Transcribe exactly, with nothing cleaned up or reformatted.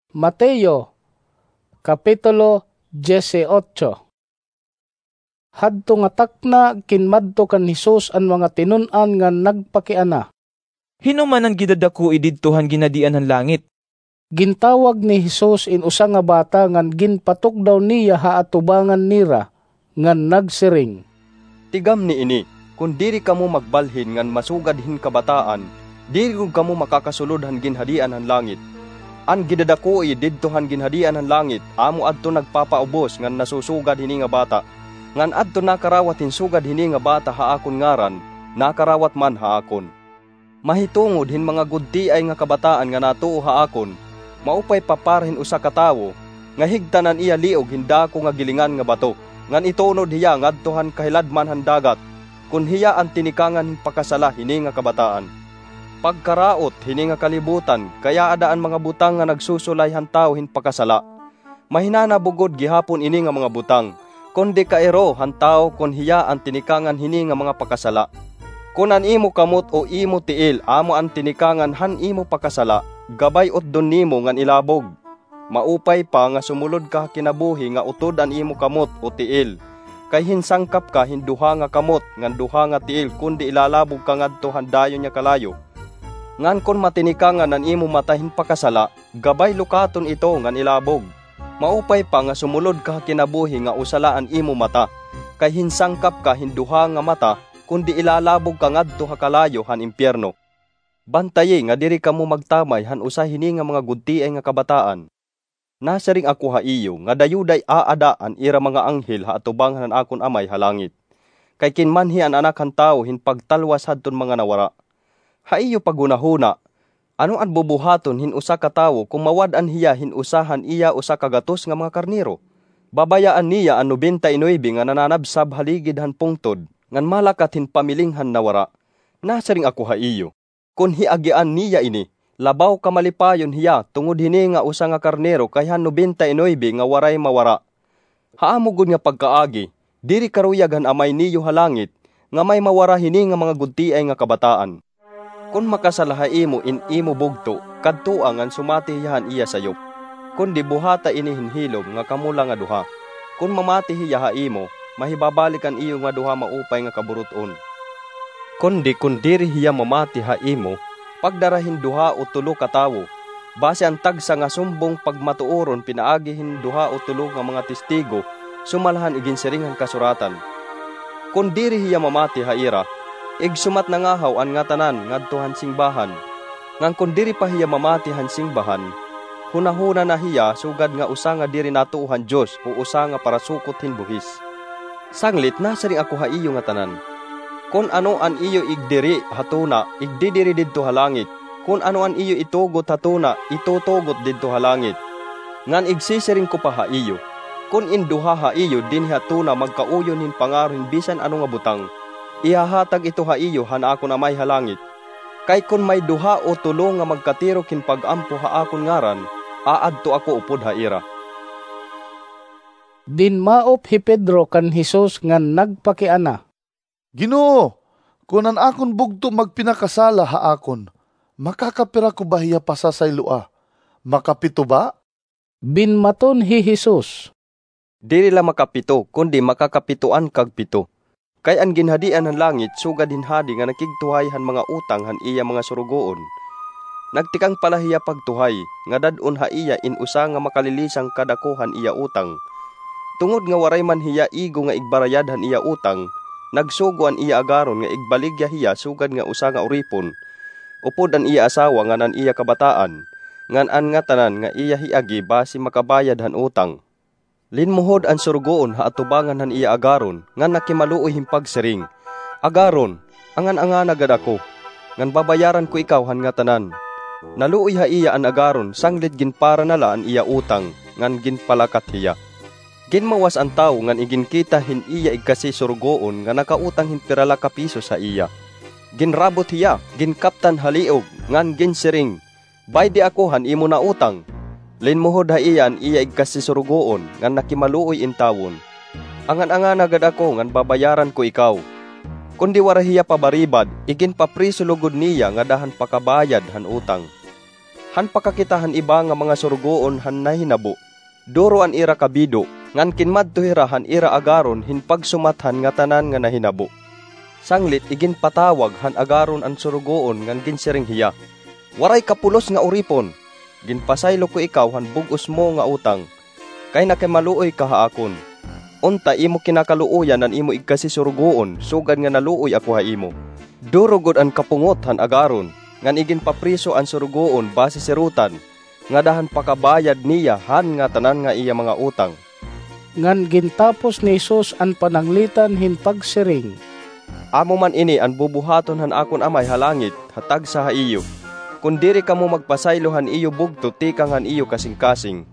Mateo, Kapitulo dieciocho. Hadto nga takna, kinmadto kan Jesus an mga tinun-an ngan nagpakiana, "Hin-o man an gidadakoi didto han ginhadian han langit?" Gintawag ni Jesus in usa nga bata ngan ginpatukdaw niya ha atubangan nira, ngan nagsiring, "Tigamni ini, kon diri kamo magbalhin ngan masugad hin kabataan, diri gud kamo makakasulod han ginhadian han langit. An gidadakoi didto han ginhadian han langit, amo adto nagpapaubos ngan nasusugad hini nga bata. Ngan adton nakarawat hin sugad hini nga bata ha akon ngaran, nakarawat man ha akon. Mahitungod hin mga gudtiay nga kabataan nga natuo ha akon, maupay pa para hin usa ka tawo nga higtan an iya liog hin dako nga gilingan nga bato, ngan itunod hiya ngadto han kahiladman han dagat, kon hiya an tinikangan hin pakasala hini nga kabataan. Pagkaraot hini nga kalibutan, kay aada an mga butang nga nagsusulay han tawo hin pakasala. Mahinana bugod gihapon ini nga mga butang, kundi kairo han tawo kon hiya an tinikangan hini nga mga pakasala. Kon an imo kamot o imo tiil amo an tinikangan han imo pakasala, gabay utdon nimo ngan ilabog. Maupay pa nga sumulod ka ha kinabuhi nga utod an imo kamot o tiil, kay hinsangkap ka hin duha nga kamot ngan duha nga tiil, kundi ilalabog ka ngadto han dayon nga kalayo. Ngan kon matinikangan an imo mata hin pakasala, gabay lukaton ito ngan ilabog. Maupay pa nga sumulod ka ha kinabuhi nga usa la an imo mata, kay hinsangkap ka hin duha nga mata, kundi ilalabog ka ngadto ha kalayo han impyerno. Bantayi nga diri kamo magtamay han usa hini nga mga gudtiay nga kabataan. Nasiring ako ha iyo nga dayoday aada an ira mga anghel ha atubangan han akon Amay ha langit, kay kinmanhi an Anak han Tawo hin pagtalwas hadton mga nawara. Ha iyo paghunahuna, ano an bubuhaton hin usa ka tawo kon mawad-an hiya hin usa han iya usa ka gatos nga mga karnero? Babayaan niya an nobenta y nuebe nga nananabsab ha ligid han pungtod, ngan malakat hin pamiling han nawara. Nasiring ako ha iyo, kon hiagian niya ini, labaw ka malipayon hiya tungod hini nga usa nga karnero kay han nobenta y nuebe nga waray mawara. Ha amo gud nga pagkaagi, diri karuyag han Amay niyo ha langit nga may mawara hini nga mga gudtiay nga kabataan. Kon makasala ha imo in imo bugto, kadtoa ngan sumati hiya han iya sayop. Kundi buhata ini hin hilom nga kamo la nga duha. Kon mamati hiya ha imo, mahibabalik an iyo nga duha maupay nga kaburut-on. Kundi kon diri hiya mamati ha imo, pagdara hin duha o tulo ka tawo, basi an tagsa nga sumbong pagmatuoron pinaagi hin duha o tulo nga mga testigo, sumala han iginsiring han Kasuratan. Kon diri hiya mamati ha ira, igsumat nangahaw an ngatanan ngadto han singbahan. Ngan kon diri pa hiya mamati han singbahan, hunahuna na hiya sugad nga usa nga diri natuo han Dios o usa nga parasukot hin buhis. Sanglit nasiring ako ha iyo ngatanan, kon ano an iyo igdiri ha tuna, igdidiri didto ha langit. Kon ano an iyo itugot ha tuna, itutugot didto ha langit. Ngan igsisiring ko pa ha iyo, kon in duha ha iyo dinhi ha tuna magkauyon hin pangaro hin bisan ano nga butang, ihahatag ito ha iyo han akon Amay ha langit. Kay kon may duha o tulo nga magkatirok hin pag-ampo ha akon ngaran, aadto ako upod ha ira. Dinmaop hi Pedro kan Jesus ngan nagpakiana, Ginoo, kon an akon bugto magpinakasala ha akon, makakapira ko ba hiya pasasayloa? Makapito ba? Binmaton hi Jesus, Diri la makapito, kundi makakapitoan kag pito. Kay an Ginhadian han langit sugad hin hadi nga nakigtuhay han mga utang han iya mga surugoon. Nagtikang pa la hiya pagtuhay, nga dad-on ha iya in usa nga makalilisang kadako han iya utang. Tungod nga waray man hiya igo nga igbarayad han iya utang, nagsugo an iya agaron nga igbaligya hiya sugad nga usa nga uripon, upod an iya asawa ngan an iya kabataan, ngan an ngatanan nga iya hiagi basi makabayad han utang. Linmuhod an surugoon ha atubangan han iya agaron ngan nakimaluoy hin pagsiring, 'Agaron, angan-angana gad ako, ngan babayaran ko ikaw han ngatanan.' Naluoy ha iya an agaron sanglit ginpara na la an iya utang ngan ginpalakat hiya. Ginmawas an tawo ngan iginkita hin iya igkasi surugoon nga nakautang hin pira la ka pisos ha iya. Ginrabot hiya, ginkaptan ha liog, ngan ginsiring, 'Baydi ako han imo nautang.' Linmuhod ha iya an iya igkasi surugoon ngan nakimaluoy intawon, 'Angan-angana gad ako ngan babayaran ko ikaw.' Kundi waray hiya pabaribad, iginpapriso lugod niya ngada han pakabayad han utang. han pakakita han iba nga mga surugoon han nahinabo. Duro an ira kabido, ngan kinmadto hira han ira agaron hin pagsumat han ngatanan nga nahinabo. Sanglit iginpatawag han agaron an surugoon ngan ginsiring hiya, "Waray ka pulos nga uripon! Ginpasaylo ko ikaw han bug-os mo nga utang, kay nakimaluoy ka ha akon. Unta imo kinakaluoyan an imo igkasi surugoon sugad nga naluoy ako ha imo." Duro gud an kapungot han agaron, ngan iginpapriso an surugoon basi sirotan, ngada han pakabayad niya han ngatanan nga iya mga utang. Ngan gintapos ni Jesus an pananglitan hin pagsiring, "Amo man ini an bubuhaton han akon Amay ha langit ha tagsa ha iyo, kon diri kamo magpasaylo han iyo bugto tikang han iyo kasingkasing."